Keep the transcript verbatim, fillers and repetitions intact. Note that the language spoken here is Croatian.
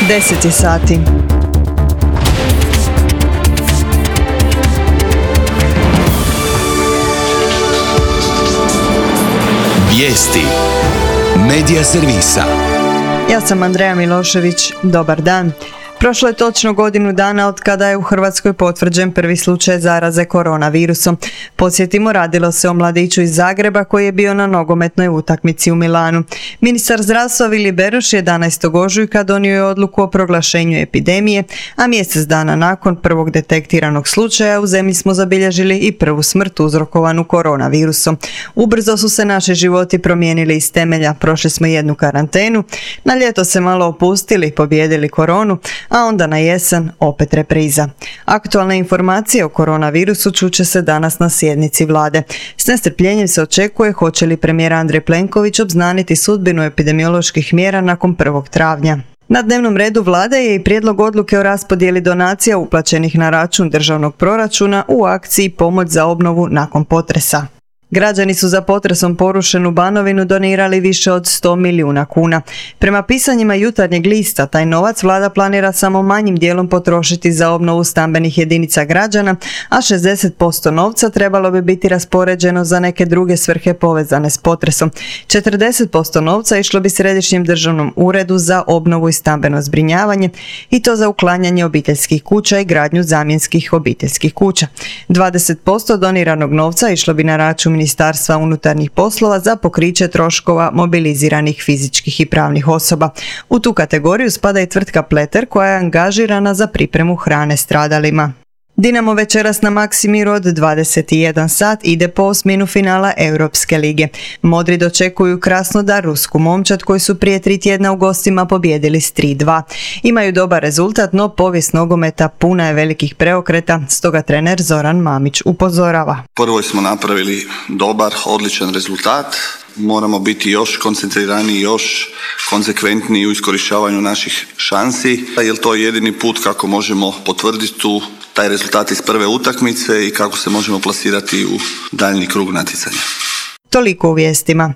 deset je sati. Vijesti Medija servisa. Ja sam Andreja Milošević. Dobar dan. Prošlo je točno godinu dana od kada je u Hrvatskoj potvrđen prvi slučaj zaraze koronavirusom. Podsjetimo, radilo se o mladiću iz Zagreba koji je bio na nogometnoj utakmici u Milanu. Ministar zdravstva Vili Beroš jedanaestog ožujka donio je odluku o proglašenju epidemije, a mjesec dana nakon prvog detektiranog slučaja u zemlji smo zabilježili i prvu smrt uzrokovanu koronavirusom. Ubrzo su se naši životi promijenili iz temelja, prošli smo jednu karantenu, na ljeto se malo opustili, pobijedili koronu, a onda na jesen opet repriza. Aktualne informacije o koronavirusu čuće se danas na sjednici vlade. S nestrpljenjem se očekuje hoće li premijer Andrej Plenković obznaniti sudbinu epidemioloških mjera nakon prvog travnja. Na dnevnom redu vlade je i prijedlog odluke o raspodjeli donacija uplaćenih na račun državnog proračuna u akciji Pomoć za obnovu nakon potresa. Građani su za potresom porušenu Banovinu donirali više od sto milijuna kuna. Prema pisanjima Jutarnjeg lista, taj novac vlada planira samo manjim dijelom potrošiti za obnovu stambenih jedinica građana, a šezdeset posto novca trebalo bi biti raspoređeno za neke druge svrhe povezane s potresom. četrdeset posto novca išlo bi Središnjem državnom uredu za obnovu i stambeno zbrinjavanje, i to za uklanjanje obiteljskih kuća i gradnju zamjenskih obiteljskih kuća. dvadeset posto doniranog novca išlo bi na račun Ministarstva unutarnjih poslova za pokriće troškova mobiliziranih fizičkih i pravnih osoba. U tu kategoriju spada i tvrtka Pleter koja je angažirana za pripremu hrane stradalima. Dinamo večeras na Maksimiru od dvadeset jedan sat ide po osminu finala Europske lige. Modri dočekuju Krasnodar, rusku momčad koji su prije tri tjedna u gostima pobijedili s tri dva. Imaju dobar rezultat, no povijest nogometa puna je velikih preokreta, stoga trener Zoran Mamić upozorava. Prvo smo napravili dobar, odličan rezultat. Moramo biti još koncentriraniji, još konsekventniji u iskorištavanju naših šansi, jer to je jedini put kako možemo potvrditi tu taj rezultat iz prve utakmice i kako se možemo plasirati u daljnji krug natjecanja. Toliko u vijestima.